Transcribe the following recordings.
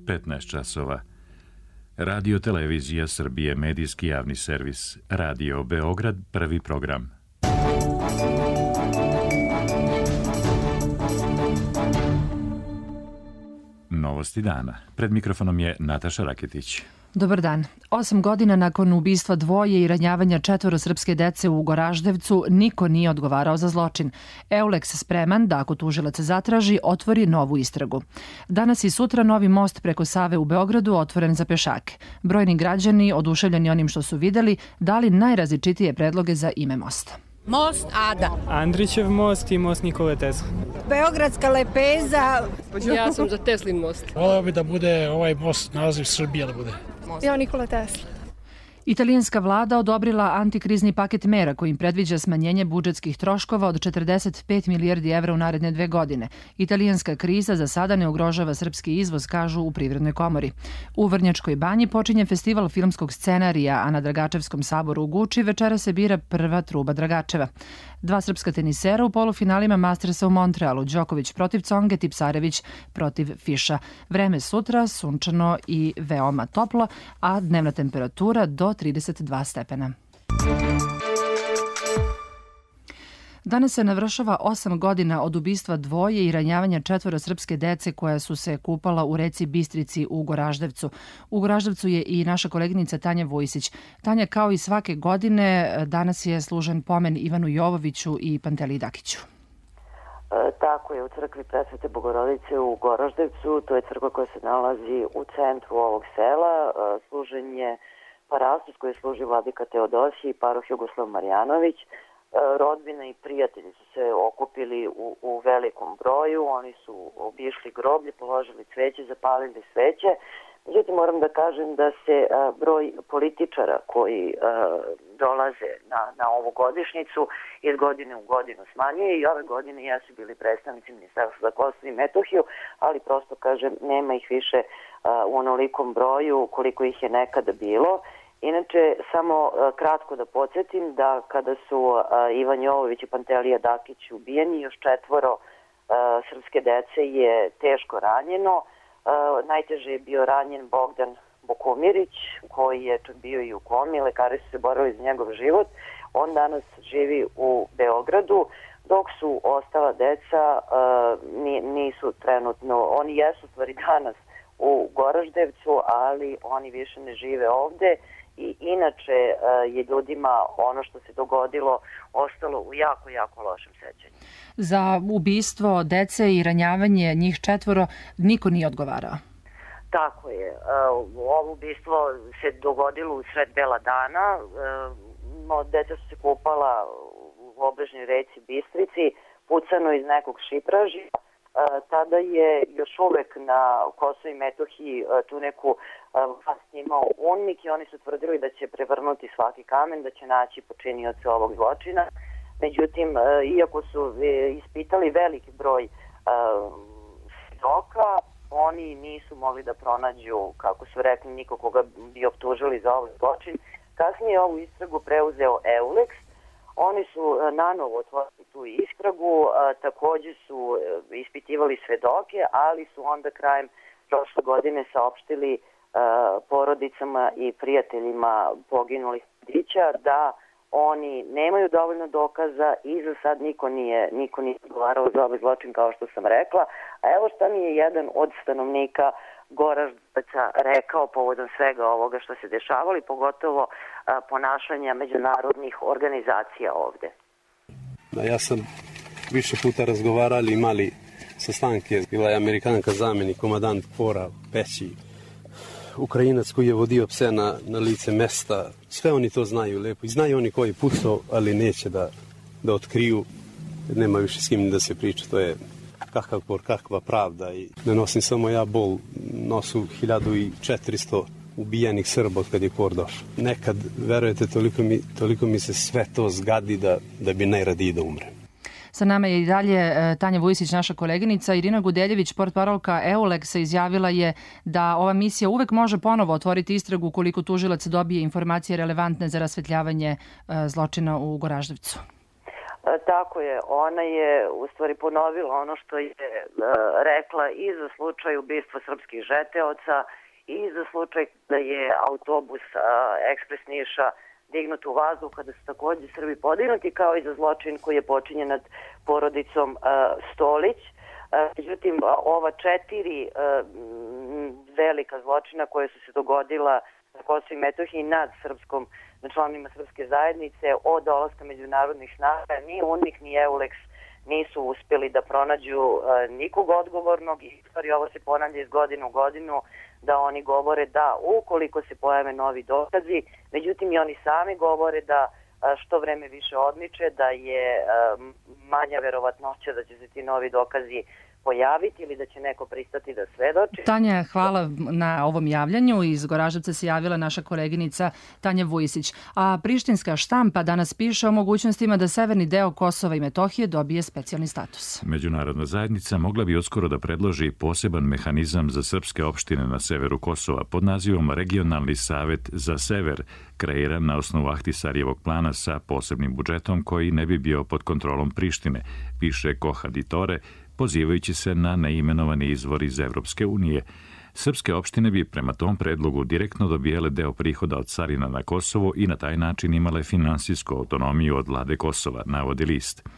15 časova. Radio Televizija Srbije, medijski javni servis. Radio Beograd, prvi program. Novosti dana. Pred mikrofonom je Nataša Raketić. Dobar dan. 8 godina nakon ubistva dvoje i ranjavanja 4 srpske dece u Goraždevcu niko nije odgovarao za zločin. Euleks spreman da ako tužilac zatraži, otvori novu istragu. Danas i sutra novi most preko Save u Beogradu otvoren za pešake. Brojni građani, oduševljeni onim što su videli, dali najrazličitije predloge za ime mosta. Most Ada. Andrićev most i most Nikole Tesla. Beogradska lepeza. Ja sam za Teslin most. Voleo bi da bude ovaj most naziv Srbija da bude. Ja Nikola Tesla. Italijanska vlada odobrila antikrizni paket mera kojim predviđa smanjenje budžetskih troškova od 45 milijardi evra u naredne 2 godine. Italijanska kriza za sada ne ugrožava srpski izvoz, kažu u Privrednoj komori. U Vrnjačkoj banji počinje festival filmskog scenarija, a na Dragačevskom saboru u Guči večera se bira prva truba Dragačeva. 2 srpska tenisera u polufinalima Mastersa u Montrealu, Đoković protiv Conge, Tipsarević protiv Fiša. Vreme sutra sunčano i veoma toplo, a dnevna temperatura do 32 stepena. Danas se navršava 8 godina od ubistva dvoje i ranjavanja 4 srpske dece koja su se kupala u reci Bistrici u Goraždevcu. U Goraždevcu je i naša koleginica Tanja Vujsić. Tanja, kao i svake godine, danas je služen pomen Ivanu Jovoviću i Panteliji Dakiću. Tako je, u crkvi Presvete Bogorodice u Goraždevcu, to je crkva koja se nalazi u centru ovog sela, služen je parastos koji služi vladika Teodosije i paroh Jugoslav Marjanović. Rodbina i prijatelji su se okupili u velikom broju, oni su obišli groblje, položili cveće, zapalili sveće. Međutim, moram da kažem da se broj političara koji dolaze na ovu godišnjicu iz godine u godinu smanjuje i ove godine jesu bili predstavnici Ministarstva za Kosovo i Metohiju, ali prosto kažem nema ih više u onolikom broju koliko ih je nekada bilo. Inače, samo kratko da podsjetim da kada su Ivan Jovović i Pantelija Dakić ubijeni, još 4 srpske dece je teško ranjeno. Najteže je bio ranjen Bogdan Bokumirić, koji je čak bio i u komi, lekari su se borili za njegov život. On danas živi u Beogradu, dok su ostala deca nisu trenutno, oni jesu stvari danas u Goraždevcu, ali oni više ne žive ovde. I inače je ljudima ono što se dogodilo ostalo u jako, jako lošem sećanju. Za ubistvo dece i ranjavanje njih 4 niko nije odgovarao. Tako je. Ovo ubistvo se dogodilo u sred bela dana. Deca su se kupala u obližnjoj reci Bistrici, pucano iz nekog šipražja. Tada je još uvek na Kosovo i Metohiji tu neku vlast imao UNMIK i oni su tvrdili da će prevrnuti svaki kamen, da će naći počinioce ovog zločina. Međutim, iako su ispitali veliki broj svedoka, oni nisu mogli da pronađu, kako su rekli, niko koga bi optužili za ovaj zločin. Kasnije ovu istragu preuzeo Euleks. Oni su nanovo otvorili tu istragu, takođe su ispitivali svedoke, ali su onda krajem prošle godine saopštili porodicama i prijateljima poginulih mladića da oni nemaju dovoljno dokaza i za sad niko nije odgovarao za ovaj zločin, kao što sam rekla. A evo šta mi je jedan od stanovnika Goraždevca rekao povodom svega ovoga što se dešavalo i pogotovo ponašanja međunarodnih organizacija ovde. Ja sam više puta razgovarali, imali sastanke. Bila je Amerikanka zamjenik, komadant KFOR-a, Peći, Ukrajinac koji je vodio pse na lice mesta. Sve oni to znaju lepo. I znaju oni koji pucao, ali neće da otkriju. Nema više s kim da se priča. To je kakav KFOR, kakva pravda. I ne nosim samo ja bol, nosu 1400 ubijenih Srba od kad je KFOR došao. Nekad, verujete, toliko mi se sve to zgadi da bi najradije da umrem. Sa nama je i dalje Tanja Vujsić, naša koleginica. Irina Gudeljević, portparolka Euleksa, izjavila je da ova misija uvek može ponovo otvoriti istragu ukoliko tužilac dobije informacije relevantne za rasvetljavanje zločina u Goraždevcu. Tako je, ona je u stvari ponovila ono što je rekla i za slučaj ubistva srpskih žeteoca i za slučaj da je autobus Ekspres Niša dignut u vazduh kada su takođe Srbi podignuti, kao i za zločin koji je počinjen nad porodicom Stolić. Međutim, ova 4 velika zločina koje su se dogodila na Kosovu i Metohiji nad članovima srpske zajednice od dolaska međunarodnih snaga, ni UNMIK ni EULEX nisu uspjeli da pronađu nikog odgovornog i stvari ovo se ponavlja iz godine u godinu da oni govore da ukoliko se pojave novi dokazi, međutim i oni sami govore da što vreme više odmiče, da je manja verovatnoća da će se ti novi dokazi pojaviti ili da će neko pristati da svedoči. Tanja, hvala na ovom javljanju. Iz Goraždevca se javila naša koleginica Tanja Vujisić. A prištinska štampa danas piše o mogućnostima da severni deo Kosova i Metohije dobije specijalni status. Međunarodna zajednica mogla bi uskoro da predloži poseban mehanizam za srpske opštine na severu Kosova pod nazivom Regionalni savet za sever, kreiran na osnovu Ahtisarijevog plana sa posebnim budžetom koji ne bi bio pod kontrolom Prištine, piše Kohaditore, pozivajući se na neimenovani izvor iz Evropske unije. Srpske opštine bi prema tom predlogu direktno dobijale deo prihoda od carina na Kosovo i na taj način imale finansijsku autonomiju od vlade Kosova, navodi list.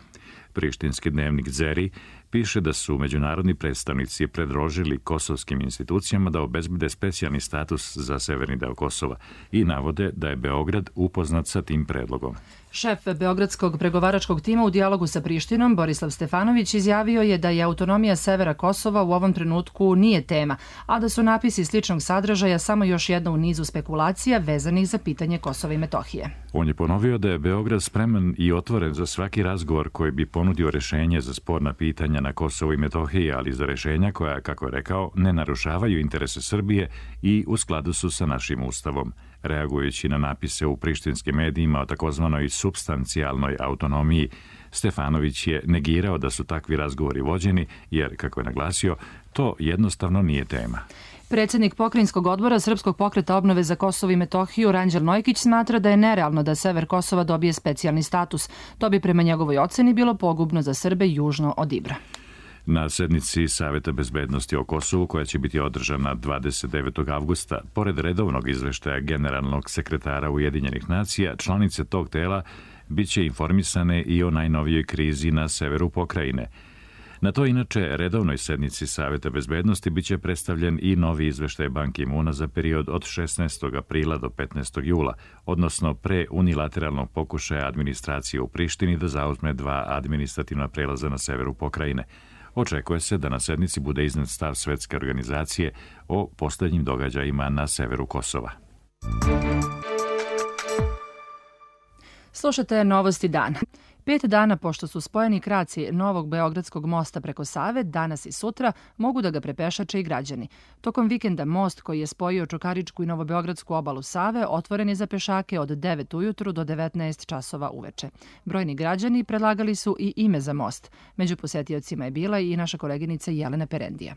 Prištinski dnevnik Zeri piše da su međunarodni predstavnici predložili kosovskim institucijama da obezbede specijalni status za severni deo Kosova i navode da je Beograd upoznat sa tim predlogom. Šef Beogradskog pregovaračkog tima u dijalogu sa Prištinom, Borislav Stefanović, izjavio je da je autonomija severa Kosova u ovom trenutku nije tema, a da su napisi sličnog sadržaja samo još jedna u nizu spekulacija vezanih za pitanje Kosova i Metohije. On je ponovio da je Beograd spreman i otvoren za svaki razgovor koji bi ponudio rešenje za sporna pitanja na Kosovu i Metohiji, ali za rešenja koja, kako je rekao, ne narušavaju interese Srbije i u skladu su sa našim ustavom. Reagujući na napise u prištinskim medijima o takozvanoj supstancijalnoj autonomiji, Stefanović je negirao da su takvi razgovori vođeni, jer, kako je naglasio, to jednostavno nije tema. Predsjednik Pokrajinskog odbora Srpskog pokreta obnove za Kosovo i Metohiju, Ranđel Nojkić, smatra da je nerealno da sever Kosova dobije specijalni status. To bi prema njegovoj oceni bilo pogubno za Srbe južno od Ibra. Na sednici Saveta bezbednosti o Kosovu, koja će biti održana 29. avgusta, pored redovnog izveštaja generalnog sekretara Ujedinjenih nacija, članice tog tela biće informisane i o najnovijoj krizi na severu pokrajine. Na to inače redovnoj sednici Saveta bezbednosti biće predstavljen i novi izveštaj Ban Ki-moona za period od 16. aprila do 15. jula, odnosno pre unilateralnog pokušaja administracije u Prištini da zauzme 2 administrativna prelaza na severu pokrajine. Očekuje se da na sednici bude iznet stav Svetske organizacije o posljednjim događajima na severu Kosova. Slušate Novosti dana. 5 dana pošto su spojeni kraci novog Beogradskog mosta preko Save, danas i sutra mogu da ga prepešače i građani. Tokom vikenda most koji je spojio Čukaričku i Novobeogradsku obalu Save otvoren je za pešake od 9 ujutru do 19 časova uveče. Brojni građani predlagali su i ime za most. Među posetiocima je bila i naša koleginica Jelena Perendija.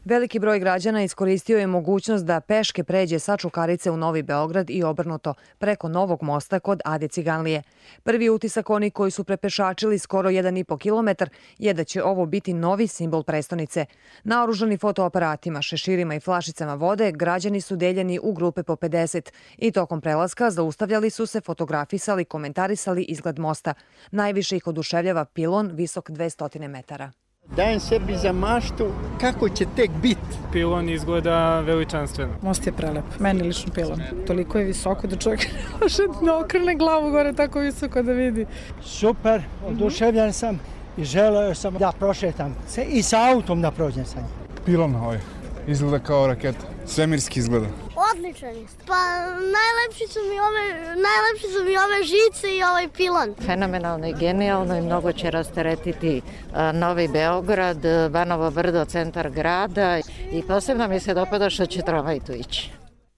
Veliki broj građana iskoristio je mogućnost da peške pređe sa Čukarice u Novi Beograd i obrnuto preko novog mosta kod Ade Ciganlije. Prvi utisak oni koji su prepešačili skoro 1,5 kilometar je da će ovo biti novi simbol prestonice. Naoružani fotoaparatima, šeširima i flašicama vode, građani su deljeni u grupe po 50 i tokom prelaska zaustavljali su se, fotografisali, komentarisali izgled mosta. Najviše ih oduševljava pilon visok 200 metara. Dajem sebi za maštu kako će tek biti. Pilon izgleda veličanstveno. Most je prelep, meni lično pilon. Toliko je visoko da čovjek ne može da okrene glavu gore tako visoko da vidi. Super, oduševljen sam i želeo sam da prošetam se i sa autom da prođem sa njim. Pilon ovaj, izgleda kao raketa, svemirski izgleda. Odličan je. Pa najlepši su mi ove žice i ovaj pilon. Fenomenalno i genijalno i mnogo će rasteretiti Novi Beograd, Banovo Brdo, centar grada i posebno mi se dopada što će tramvaj tu ići.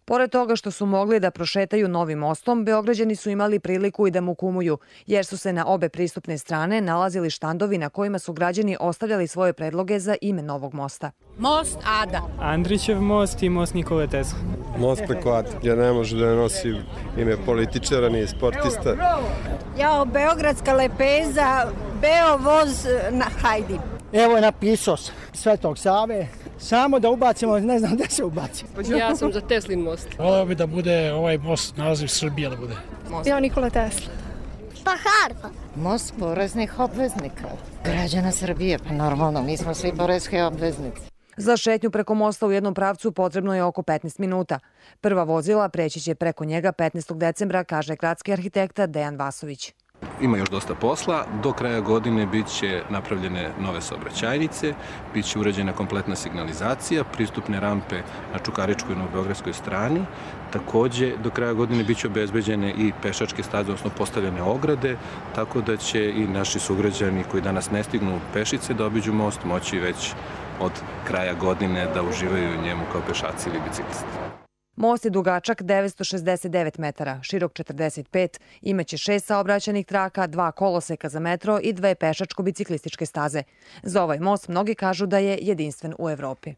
Pored toga što su mogli da prošetaju novim mostom, Beograđani su imali priliku i da mu kumuju, jer su se na obe pristupne strane nalazili štandovi na kojima su građani ostavljali svoje predloge za ime novog mosta. Most Ada. Andrićev most i most Nikole Tesla. Most preko Ade, jer ne može da nosi ime političara ni sportista. Jao, beogradska lepeza, beo voz na Hajdi. Evo je napisao Svetog Save, samo da ubacimo, ne znam gde se ubaci. Ja sam za Teslin most. Voleo bi da bude ovaj most naziv Srbija da bude. Ja Nikola Tesla. Pa Harpa. Most poreznih obveznika. Građana Srbije, pa normalno, mi smo svi porezke obveznici. Za šetnju preko mosta u jednom pravcu potrebno je oko 15 minuta. Prva vozila preći će preko njega 15. decembra, kaže gradski arhitekta Dejan Vasović. Ima još dosta posla. Do kraja godine bit će napravljene nove saobraćajnice, bit će urađena kompletna signalizacija, pristupne rampe na Čukaričkoj i Novobeogradskoj strani. Takođe, do kraja godine bit će obezbeđene i pešačke staze, odnosno postavljene ograde, tako da će i naši sugrađani koji danas ne stignu pešice da obiđu most moći već od kraja godine da uživaju u njemu kao pešaci ili biciklisti. Most je dugačak 969 metara, širok 45, imaće 6 saobraćajnih traka, 2 koloseka za metro i 2 pešačko-biciklističke staze. Za ovaj most mnogi kažu da je jedinstven u Evropi.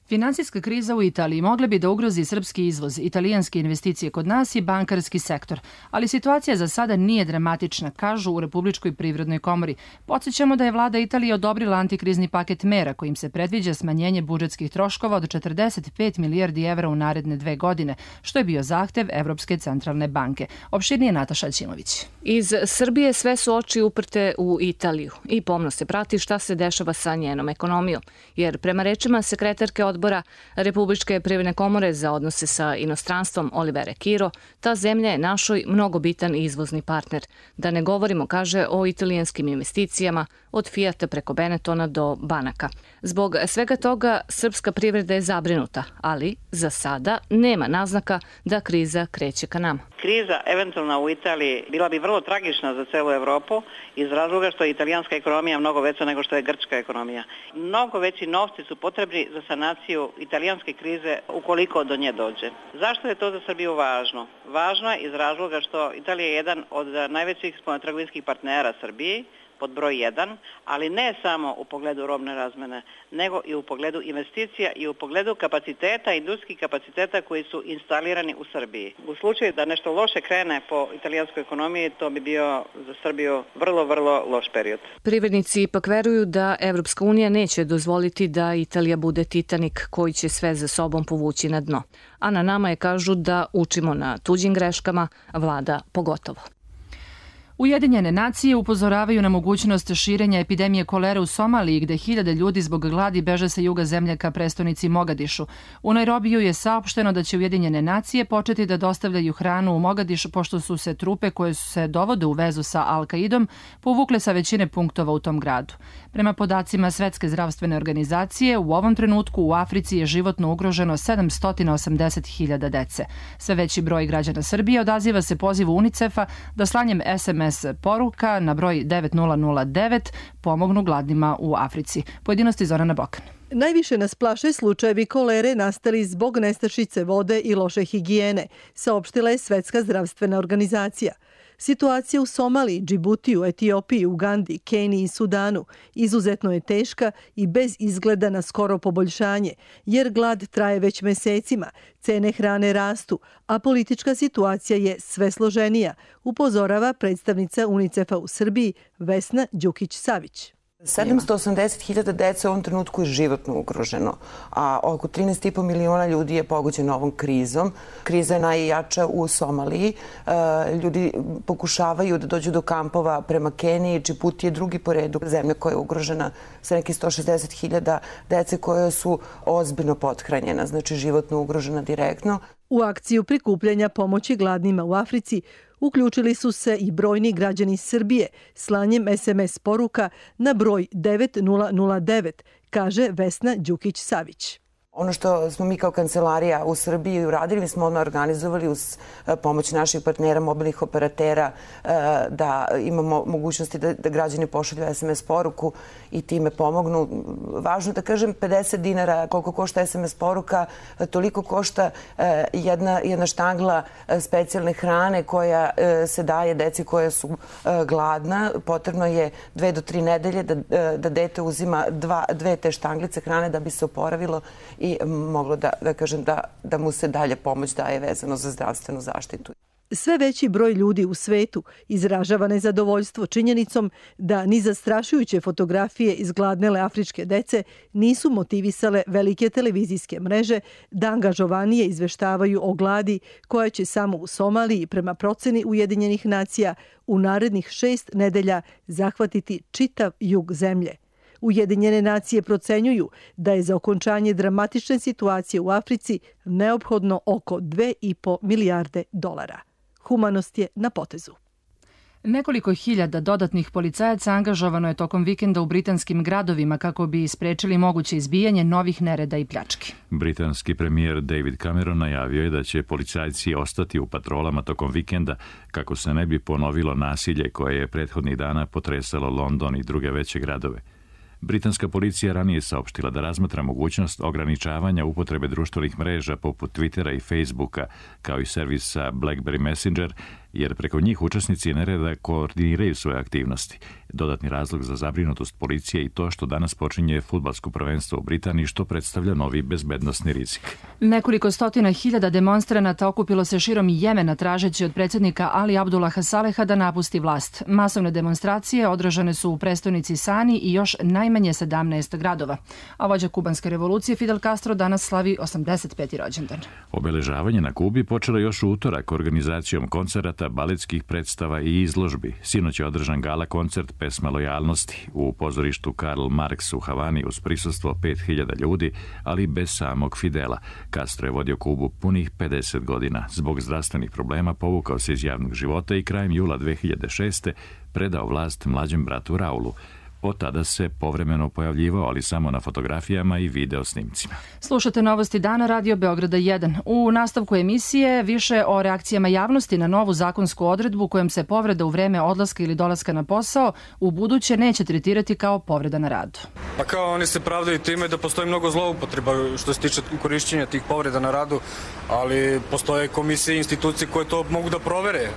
Finansijska kriza u Italiji mogla bi da ugrozi srpski izvoz, italijanske investicije kod nas i bankarski sektor, ali situacija za sada nije dramatična, kažu u Republičkoj privrednoj komori. Podsjećamo da je vlada Italije odobrila antikrizni paket mera kojim se predviđa smanjenje budžetskih troškova od 45 milijardi evra u naredne 2 godine, što je bio zahtev Evropske centralne banke. Opširnije Nataša Ćimović. Iz Srbije sve su oči uprte u Italiju i pomno se prati šta se dešava sa njenom ekonomijom, jer prema rečima sekretarke odbora Republičke privredne komore za odnose sa inostranstvom Olivere Kiro, ta zemlja je našoj mnogo bitan izvozni partner. Da ne govorimo, kaže, o italijanskim investicijama od Fijata preko Benetona do banaka. Zbog svega toga srpska privreda je zabrinuta, ali za sada nema naznaka da kriza kreće ka nama. Kriza eventualna u Italiji bila bi vrlo tragična za celu Evropu iz razloga što je italijanska ekonomija mnogo veća nego što je grčka ekonomija. Mnogo veći novci su potrebni za sanaciju italijanske krize ukoliko do nje dođe. Zašto je to za Srbiju važno? Važno je iz razloga što Italija je jedan od najvećih spoljnotrgovinskih partnera Srbiji, pod broj 1, ali ne samo u pogledu robne razmene, nego i u pogledu investicija i u pogledu kapaciteta, industrijskih kapaciteta koji su instalirani u Srbiji. U slučaju da nešto loše krene po italijanskoj ekonomiji, to bi bio za Srbiju vrlo, vrlo loš period. Privrednici ipak veruju da Evropska unija neće dozvoliti da Italija bude Titanik koji će sve za sobom povući na dno. A na nama je, kažu, da učimo na tuđim greškama, vlada pogotovo. Ujedinjene nacije upozoravaju na mogućnost širenja epidemije kolere u Somaliji, gde hiljade ljudi zbog gladi beže sa juga zemlje ka prestonici Mogadišu. U Nairobiju je saopšteno da će Ujedinjene nacije početi da dostavljaju hranu u Mogadišu, pošto su se trupe koje se dovode u vezu sa Al-Kaidom povukle sa većine punktova u tom gradu. Prema podacima Svetske zdravstvene organizacije, u ovom trenutku u Africi je životno ugroženo 780.000 dece. Sve veći broj građana Srbije odaziva se pozivu UNICEF-a da slanjem SMS poruka na broj 9009 pomognu gladnima u Africi. Pojedinosti Zorana Bokan. Najviše nas plaše slučajevi kolere nastali zbog nestašice vode i loše higijene, saopštila je Svetska zdravstvena organizacija. Situacija u Somaliji, Džibutiju, Etiopiji, Ugandi, Keniji i Sudanu izuzetno je teška i bez izgleda na skoro poboljšanje, jer glad traje već mesecima, cene hrane rastu, a politička situacija je sve složenija, upozorava predstavnica UNICEF-a u Srbiji Vesna Đukić-Savić. 780.000 dece u ovom trenutku je životno ugroženo, a oko 13,5 miliona ljudi je pogođeno ovom krizom. Kriza je najjača u Somaliji. Ljudi pokušavaju da dođu do kampova prema Keniji. Džibuti je drugi po redu zemlja koja je ugrožena sa nekih 160.000 dece koje su ozbiljno pothranjena, znači životno ugrožena direktno. U akciju prikupljanja pomoći gladnima u Africi uključili su se i brojni građani Srbije slanjem SMS poruka na broj 9009, kaže Vesna Đukić-Savić. Ono što smo mi kao kancelarija u Srbiji uradili, mi smo odmah organizovali uz pomoć naših partnera, mobilnih operatera, da imamo mogućnosti da građani pošalju SMS poruku i time pomognu. Važno da kažem, 50 dinara koliko košta SMS poruka, toliko košta jedna štangla specijalne hrane koja se daje deci koja su gladna. Potrebno je 2 do 3 nedelje da dete uzima 2 te štanglice hrane da bi se oporavilo i moglo da kažem da mu se dalje pomoć daje vezano za zdravstvenu zaštitu. Sve veći broj ljudi u svetu izražava nezadovoljstvo činjenicom da ni zastrašujuće fotografije izgladnele afričke dece nisu motivisale velike televizijske mreže da angažovanije izveštavaju o gladi koja će samo u Somaliji, prema proceni Ujedinjenih nacija, u narednih 6 nedelja zahvatiti čitav jug zemlje. Ujedinjene nacije procenjuju da je za okončanje dramatične situacije u Africi neophodno oko 2,5 milijarde dolara. Humanost je na potezu. Nekoliko hiljada dodatnih policajaca angažovano je tokom vikenda u britanskim gradovima kako bi sprečili moguće izbijanje novih nereda i pljački. Britanski premijer David Cameron najavio je da će policajci ostati u patrolama tokom vikenda kako se ne bi ponovilo nasilje koje je prethodnih dana potresalo London i druge veće gradove. Britanska policija ranije saopštila da razmatra mogućnost ograničavanja upotrebe društvenih mreža poput Twittera i Facebooka, kao i servisa BlackBerry Messenger, jer preko njih učesnici nereda koordiniraju svoje aktivnosti. Dodatni razlog za zabrinutost policije i to što danas počinje fudbalsko prvenstvo u Britaniji, što predstavlja novi bezbednosni rizik. Nekoliko stotina hiljada demonstranata okupilo se širom Jemena tražeći od predsjednika Ali Abdullaha Saleha da napusti vlast. Masovne demonstracije održane su u prestonici Sani i još najmanje 17 gradova. A vođa kubanske revolucije Fidel Castro danas slavi 85. rođendan. Obeležavanje na Kubi počelo još u utorak organizacijom koncerata, baletskih predstava i izložbi. Sinoć je održan gala koncert pesma lojalnosti u pozorištu Karl Marx u Havani uz prisustvo 5000 ljudi, ali bez samog Fidela. Castro je vodio Kubu punih 50 godina. Zbog zdravstvenih problema povukao se iz javnog života i krajem jula 2006. predao vlast mlađem bratu Raulu. Od tada se povremeno pojavljivao, ali samo na fotografijama i video snimcima. Slušate Novosti dana Radio Beograda 1. U nastavku emisije više o reakcijama javnosti na novu zakonsku odredbu kojom se povreda u vreme odlaska ili dolaska na posao u buduće neće tretirati kao povreda na radu. Pa kao oni se pravdaju time da postoji mnogo zloupotreba što se tiče korišćenja tih povreda na radu, ali postoje komisije i institucije koje to mogu da provere.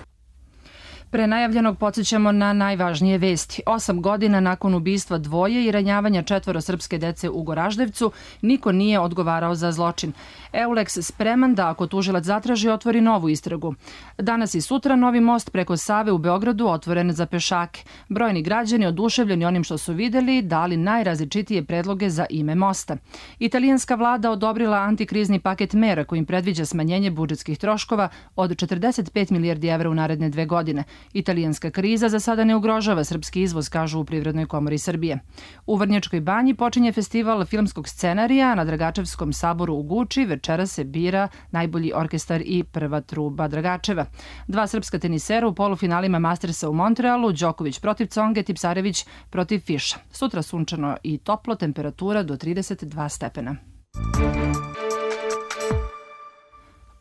Pre najavljenog podsjećamo na najvažnije vesti. 8 godina nakon ubistva dvoje i ranjavanja 4 srpske dece u Goraždevcu, niko nije odgovarao za zločin. Eulex spreman da, ako tužilac zatraži, otvori novu istragu. Danas i sutra novi most preko Save u Beogradu otvoren za pešake. Brojni građani, oduševljeni onim što su videli, dali najrazličitije predloge za ime mosta. Italijanska vlada odobrila antikrizni paket mera kojim predviđa smanjenje budžetskih troškova od 45 milijardi evra u naredne 2 godine. Italijanska kriza za sada ne ugrožava srpski izvoz, kažu u Privrednoj komori Srbije. U Vrnjačkoj banji počinje festival filmskog scenarija, na Dragačevskom saboru u Guči večera se bira najbolji orkestar i prva truba Dragačeva. 2 srpska tenisera u polufinalima Mastersa u Montrealu, Đoković protiv Conge, Tipsarević protiv Fiša. Sutra sunčano i toplo, temperatura do 32 stepena.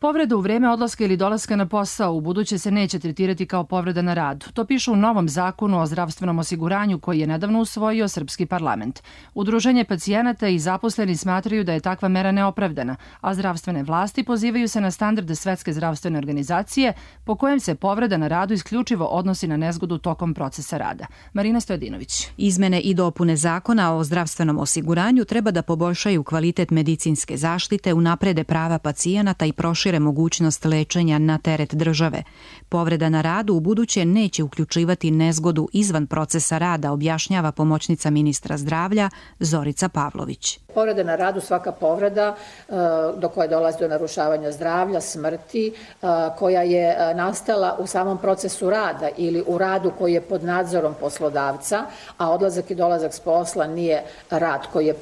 Povreda u vreme odlaska ili dolaska na posao u buduće se neće tretirati kao povreda na radu. To piše u novom zakonu o zdravstvenom osiguranju koji je nedavno usvojio srpski parlament. Udruženje pacijenata i zaposleni smatraju da je takva mera neopravdana, a zdravstvene vlasti pozivaju se na standarde Svetske zdravstvene organizacije po kojem se povreda na radu isključivo odnosi na nezgodu tokom procesa rada. Marina Stojadinović. Izmene i dopune zakona o zdravstvenom osiguranju treba da poboljšaju kvalitet medicinske zaštite, unaprede prava pacijenata i prošire mogućnost lečenja na teret države. Povreda na radu u buduće neće uključivati nezgodu izvan procesa rada, objašnjava pomoćnica ministra zdravlja Zorica Pavlović. Povreda na radu, svaka povreda do koje dolazi do narušavanja zdravlja, smrti, koja je nastala u samom procesu rada ili u radu koji je pod nadzorom poslodavca, a odlazak i dolazak s posla nije rad koji je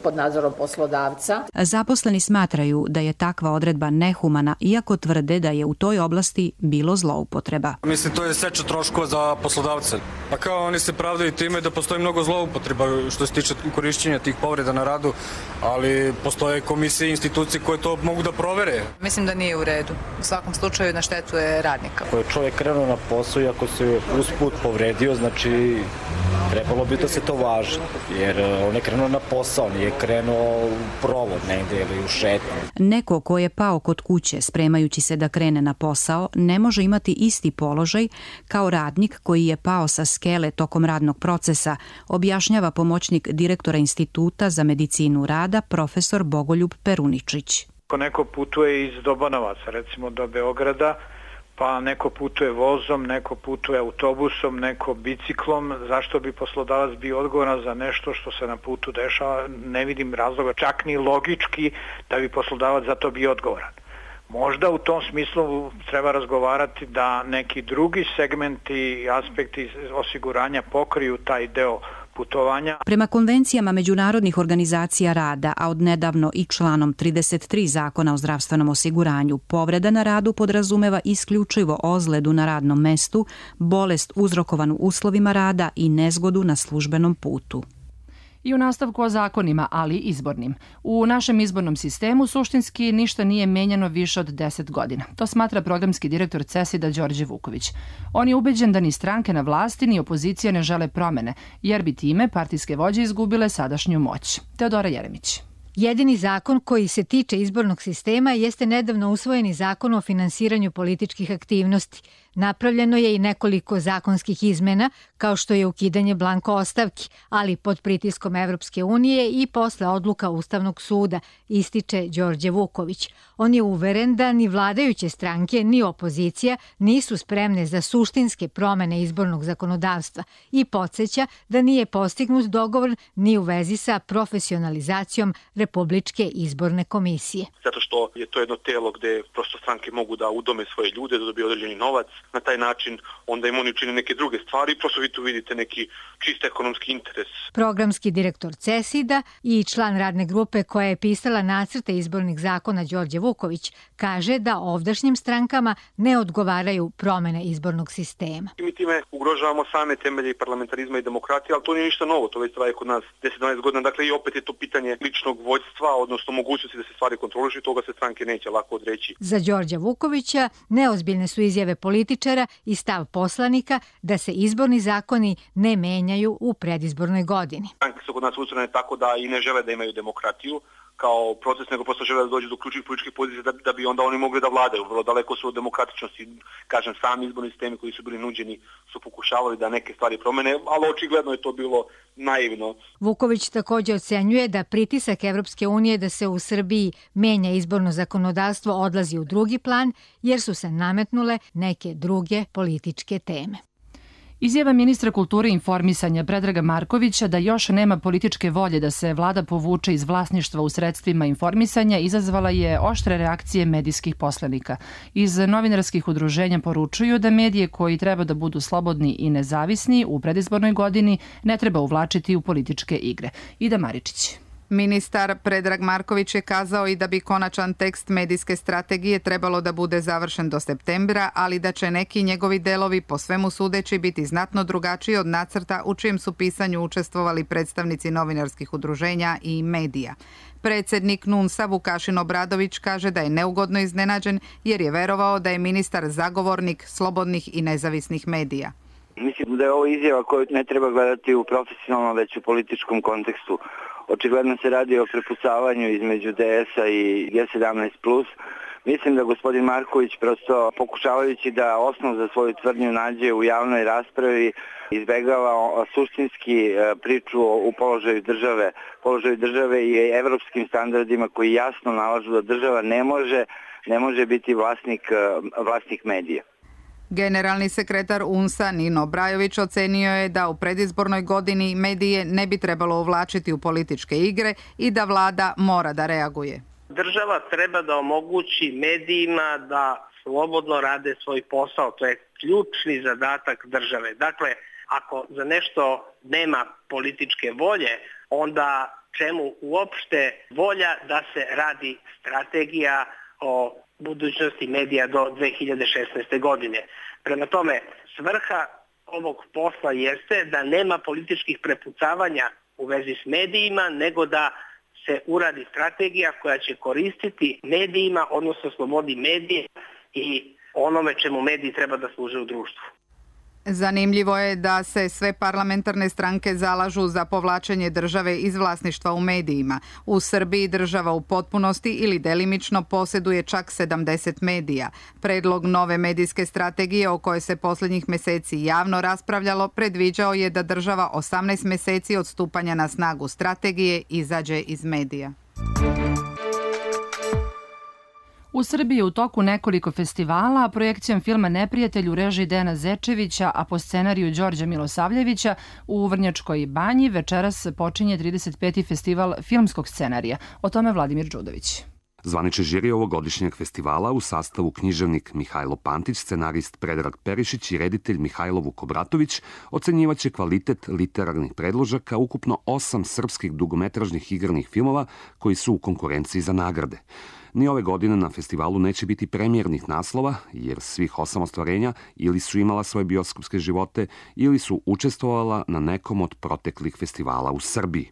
pod nadzorom poslodavca. Zaposleni smatraju da je takva odredba nehumana, iako tvrde da je u toj oblasti bilo zloupotreba. Mislim, to je seča troškova za poslodavce. Pa kao oni se pravdaju time da postoji mnogo zloupotreba što se tiče korišćenja tih povreda na radu, ali postoje komisije i institucije koje to mogu da provere. Mislim da nije u redu. U svakom slučaju na štetu je radnika. Ako je čovjek krenuo na posao i ako se usput povredio, znači trebalo bi da se to važi, jer on je krenuo na posao, nije krenuo u provod negde ili u šetnju. Neko ko je pao kod kuće spremajući se da krene na posao ne može imati isti položaj kao radnik koji je pao sa skele tokom radnog procesa, objašnjava pomoćnik direktora Instituta za medicinu rada profesor Bogoljub Peruničić. Ako neko putuje iz Dobanovaca, recimo do Beograda, pa neko putuje vozom, neko putuje autobusom, neko biciklom, zašto bi poslodavac bio odgovoran za nešto što se na putu dešava? Ne vidim razloga, čak ni logički, da bi poslodavac za to bio odgovoran. Možda u tom smislu treba razgovarati da neki drugi segmenti i aspekti osiguranja pokriju taj deo putovanja. Prema konvencijama međunarodnih organizacija rada, a odnedavno i članom 33 Zakona o zdravstvenom osiguranju, povreda na radu podrazumeva isključivo ozledu na radnom mestu, bolest uzrokovanu uslovima rada i nezgodu na službenom putu. I u nastavku o zakonima, ali izbornim. U našem izbornom sistemu suštinski ništa nije menjano više od 10 godina. To smatra programski direktor CESID-a Đorđe Vuković. On je ubeđen da ni stranke na vlasti ni opozicija ne žele promene, jer bi time partijske vođe izgubile sadašnju moć. Teodora Jeremić. Jedini zakon koji se tiče izbornog sistema jeste nedavno usvojeni zakon o finansiranju političkih aktivnosti. Napravljeno je i nekoliko zakonskih izmena, kao što je ukidanje blanko ostavki, ali pod pritiskom Evropske unije i posle odluka Ustavnog suda, ističe Đorđe Vuković. On je uveren da ni vladajuće stranke, ni opozicija nisu spremne za suštinske promene izbornog zakonodavstva i podsjeća da nije postignut dogovor ni u vezi sa profesionalizacijom Republičke izborne komisije. Zato što je to jedno telo gde prosto stranke mogu da udome svoje ljude, da dobiju određeni novac. Na taj način onda im oni čine neke druge stvari i prosto vi tu vidite neki čist ekonomski interes. Programski direktor CESID-a i član radne grupe koja je pisala nacrte izbornih zakona Đorđe Vuković kaže da ovdašnjim strankama ne odgovaraju promene izbornog sistema. Mi time ugrožavamo same temelje parlamentarizma i demokratije, ali to nije ništa novo, to već traje kod nas 10-12 godina. Dakle, i opet je to pitanje ličnog vođstva, odnosno mogućnosti da se stvari kontrolišu i toga se stranke neće lako odreći. Za Đorđa Vukovića neozbiljne su izjave političara i stav poslanika da se izborni zakoni ne menjaju u predizbornoj godini. Stranke su kod nas ustrojene tako da i ne žele da imaju demokratiju kao proces, nego prosto žele da dođu do ključnih političkih pozicija da bi onda oni mogli da vladaju. Vrlo daleko su od demokratičnosti, kažem, sami izborni sistemi koji su bili nuđeni su pokušavali da neke stvari promene, ali očigledno je to bilo naivno. Vuković također ocenjuje da pritisak Evropske unije da se u Srbiji menja izborno zakonodavstvo odlazi u drugi plan, jer su se nametnule neke druge političke teme. Izjava ministra kulture i informisanja Predraga Markovića da još nema političke volje da se vlada povuče iz vlasništva u sredstvima informisanja izazvala je oštre reakcije medijskih poslanika. Iz novinarskih udruženja poručuju da medije koji treba da budu slobodni i nezavisni u predizbornoj godini ne treba uvlačiti u političke igre. Ida Maričić. Ministar Predrag Marković je kazao i da bi konačan tekst medijske strategije trebalo da bude završen do septembra, ali da će neki njegovi delovi po svemu sudeći biti znatno drugačiji od nacrta u čijem su pisanju učestvovali predstavnici novinarskih udruženja i medija. Predsednik NUNS-a Vukašin Obradović kaže da je neugodno iznenađen jer je verovao da je ministar zagovornik slobodnih i nezavisnih medija. Mislim da je ovo izjava koju ne treba gledati u profesionalnom, već u političkom kontekstu. Očigledno se radi o prepucavanju između DS-a i G17+. Mislim da gospodin Marković prosto pokušavajući da osnov za svoju tvrdnju nađe u javnoj raspravi izbegava suštinski priču o položaju države i evropskim standardima koji jasno nalažu da država ne može biti vlasnik medija. Generalni sekretar UNS-a Nino Brajović ocenio je da u predizbornoj godini medije ne bi trebalo uvlačiti u političke igre i da vlada mora da reaguje. Država treba da omogući medijima da slobodno rade svoj posao. To je ključni zadatak države. Dakle, ako za nešto nema političke volje, onda čemu uopšte volja da se radi strategija o budućnosti medija do 2016. godine. Prema tome, svrha ovog posla jeste da nema političkih prepucavanja u vezi s medijima, nego da se uradi strategija koja će koristiti medijima, odnosno slobodi medije i onome čemu mediji treba da služe u društvu. Zanimljivo je da se sve parlamentarne stranke zalažu za povlačenje države iz vlasništva u medijima. U Srbiji država u potpunosti ili delimično posjeduje čak 70 medija. Predlog nove medijske strategije o kojoj se posljednjih meseci javno raspravljalo predviđao je da država 18 meseci od stupanja na snagu strategije izađe iz medija. U Srbiji je u toku nekoliko festivala, projekcijom filma Neprijatelj u režiji Dejana Zečevića, a po scenariju Đorđa Milosavljevića u Vrnjačkoj banji večeras počinje 35. festival filmskog scenarija. O tome Vladimir Đudović. Zvanični žiri ovogodišnjeg festivala u sastavu književnik Mihajlo Pantić, scenarist Predrag Perišić i reditelj Mihajlo Vukobratović ocenjivaće kvalitet literarnih predložaka ukupno 8 srpskih dugometražnih igranih filmova koji su u konkurenciji za nagrade. Ni ove godine na festivalu neće biti premijernih naslova, jer svih 8 ostvarenja ili su imala svoje bioskopske živote ili su učestvovala na nekom od proteklih festivala u Srbiji.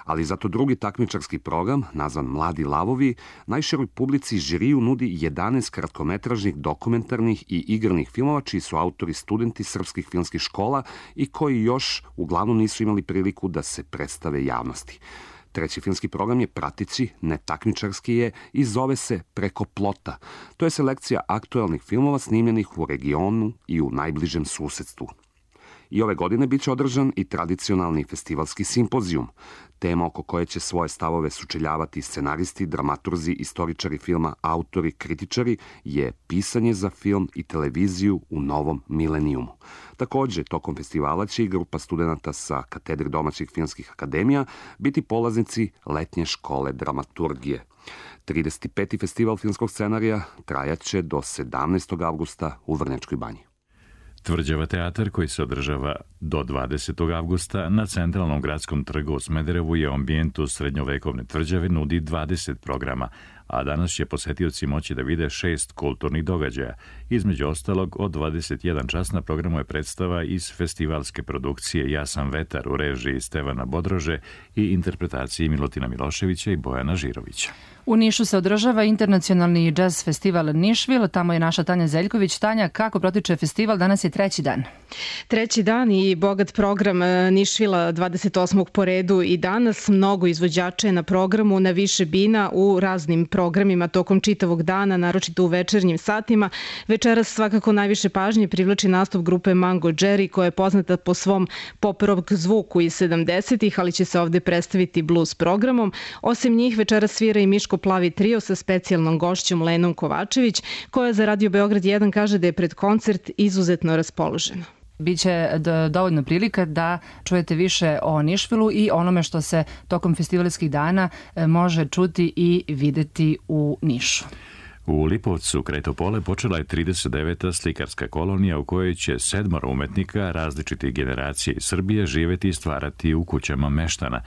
Ali zato drugi takmičarski program, nazvan Mladi lavovi, najširoj publici žiriju nudi 11 kratkometražnih, dokumentarnih i igranih filmova, čiji su autori studenti srpskih filmskih škola i koji još uglavnom nisu imali priliku da se predstave javnosti. Treći filmski program je prateći, netakmičarski je i zove se Preko plota. To je selekcija aktuelnih filmova snimljenih u regionu i u najbližem susedstvu. I ove godine biće održan i tradicionalni festivalski simpozijum, tema oko koje će svoje stavove sučeljavati scenaristi, dramaturzi, istoričari filma, autori, kritičari, je pisanje za film i televiziju u novom milenijumu. Takođe, tokom festivala će i grupa studenta sa katedre domaćih filmskih akademija biti polaznici letnje škole dramaturgije. 35. festival filmskog scenarija trajaće do 17. avgusta u Vrnjačkoj banji. Tvrđava teatar koji se održava do 20. avgusta na centralnom gradskom trgu u Smederevu je u ambijentu srednjovekovne tvrđave nudi 20 programa, a danas će posetioci moći da vide 6 kulturnih događaja. Između ostalog, od 21 čas na programu je predstava iz festivalske produkcije Ja sam vetar u režiji Stevana Bodrože i interpretaciji Milutina Miloševića i Bojana Žirovića. U Nišu se održava internacionalni džaz festival Nišvil. Tamo je naša Tanja Zeljković. Tanja, kako protiče festival? Danas je treći dan. Treći dan i bogat program Nišvila 28. po redu i danas. Mnogo izvođača je na programu, na više bina u raznim programima tokom čitavog dana, naročito u večernjim satima. Večeras svakako najviše pažnje privlači nastup grupe Mango Jerry, koja je poznata po svom pop rock zvuku iz 70-ih, ali će se ovde predstaviti blues programom. Osim njih večeras svira i Miško Plavi trio sa specijalnom gošćom Lenom Kovačević, koja za Radio Beograd 1 kaže da je pred koncert izuzetno raspoložena. Biće dovoljno prilika da čujete više o Nišvilu i onome što se tokom festivalskih dana može čuti i videti u Nišu. U Lipovcu kraj Topole počela je 39. slikarska kolonija u kojoj će 7 umetnika različitih generacija iz Srbije živeti i stvarati u kućama meštana.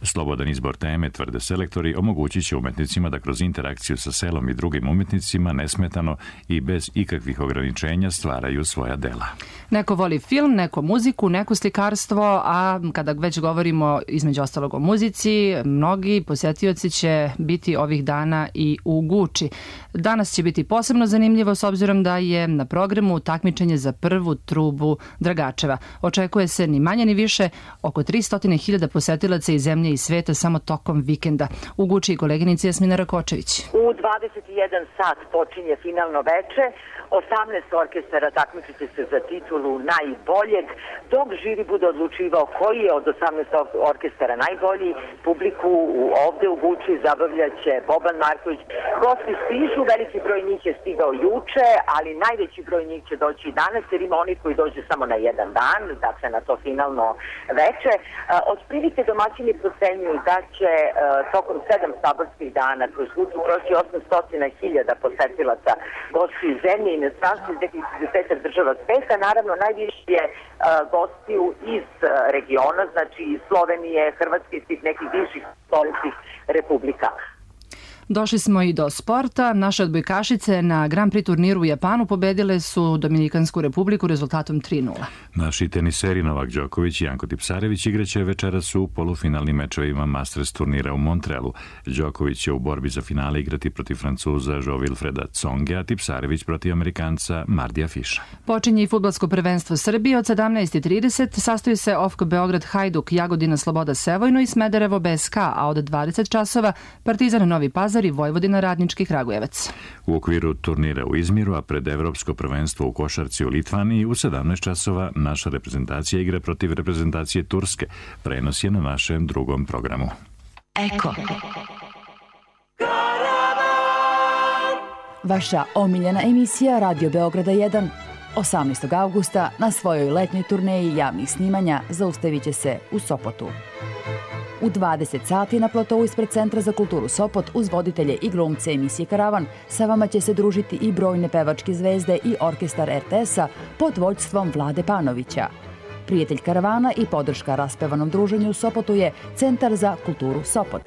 Slobodan izbor teme, tvrde selektori, omogućit će umetnicima da kroz interakciju sa selom i drugim umetnicima nesmetano i bez ikakvih ograničenja stvaraju svoja dela. Neko voli film, neko muziku, neko slikarstvo, a kada već govorimo između ostalog o muzici, mnogi posjetioci će biti ovih dana i u Guči. Danas će biti posebno zanimljivo s obzirom da je na programu takmičenje za prvu trubu Dragačeva. Očekuje se ni manje ni više oko 300.000 posetilaca iz zemlje i sveta samo tokom vikenda. U Guči koleginica Jasmina Rakočević. U 21 sat počinje finalno veče. 18 orkestara takmičiti se za titulu najboljeg. Dok žiri bude odlučivao koji je od 18 orkestara najbolji, publiku ovde u Guči zabavljaće Boban Marković. Gosti stižu, veliki broj njih je stigao juče, ali najveći broj njih će doći i danas, jer ima oni koji dođe samo na jedan dan, dakle na to finalno veče. Otprilike domaćini procenjuju da će tokom 7 saborskih dana kroz Guču proći 800.000 posetilaca gosti iz zemlje i inostranstva iz 25 država sveta. Naravno, najviše je gostiju iz regiona, znači iz Slovenije, Hrvatske i svih nekih bivših stoljećih republika. Došli smo i do sporta. Naše odbojkašice na Grand Prix turniru u Japanu pobedile su Dominikansku republiku rezultatom 3:0. Naši teniseri Novak Đoković i Janko Tipsarević igraće večeras u polufinalnim mečevima Masters turnira u Montrealu. Đoković će u borbi za finale igrati protiv Francuza Jo-Wilfreda Tsonga, a Tipsarević protiv Amerikanca Mardija Fiša. Počinje i fudbalsko prvenstvo Srbije od 17:30. Sastoji se OFK Beograd Hajduk, Jagodina Sloboda Sevojno i Smederevo BSK, a od 20 časova Partizan Novi Pazar i Vojvodina Radnički Kragujevac. U okviru turnira u Izmiru, a pred Evropsko prvenstvo u košarci u Litvaniji, u 17 časova naša reprezentacija igra protiv reprezentacije Turske. Prenos je na našem drugom programu. Eko. Vaša omiljena emisija Radio Beograda 1 18. avgusta na svojoj letnjoj turneji javnih snimanja zaustavit će se u Sopotu. U 20 sati na platovu ispred Centra za kulturu Sopot uz voditelje i glumce emisije Karavan sa vama će se družiti i brojne pevačke zvezde i orkestar RTS-a pod vođstvom Vlade Panovića. Prijatelj Karavana i podrška raspevanom druženju u Sopotu je Centar za kulturu Sopot.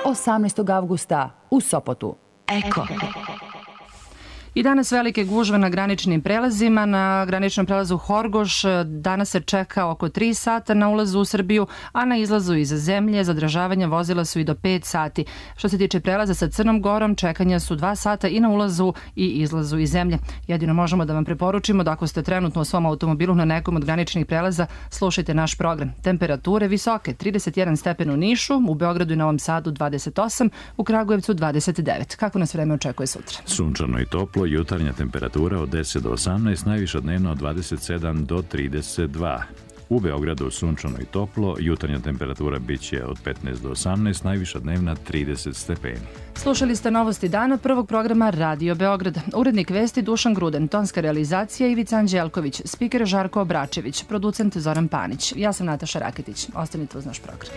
18. avgusta u Sopotu. Eko. I danas velike gužve na graničnim prelazima. Na graničnom prelazu Horgoš danas se čeka oko 3 sata na ulazu u Srbiju, a na izlazu iz zemlje zadržavanja vozila su i do 5 sati. Što se tiče prelaza sa Crnom Gorom, čekanja su 2 sata i na ulazu i izlazu iz zemlje. Jedino možemo da vam preporučimo da ako ste trenutno u svom automobilu na nekom od graničnih prelaza, slušajte naš program. Temperature visoke, 31 stepen u Nišu, u Beogradu i Novom Sadu 28, u Kragujevcu 29. Kako nas vreme očekuje sutra? Sunčano i toplo, jutarnja temperatura od 10 do 18, najviša dnevno od 27 do 32. U Beogradu sunčano i toplo, jutarnja temperatura biće od 15 do 18, najviša dnevna 30 stepeni. Slušali ste novosti dana prvog programa Radio Beograd. Urednik vesti Dušan Gruden, tonska realizacija Ivica Anđelković, spiker Žarko Obračević, producent Zoran Panić. Ja sam Nataša Raketić. Ostanite uz naš program.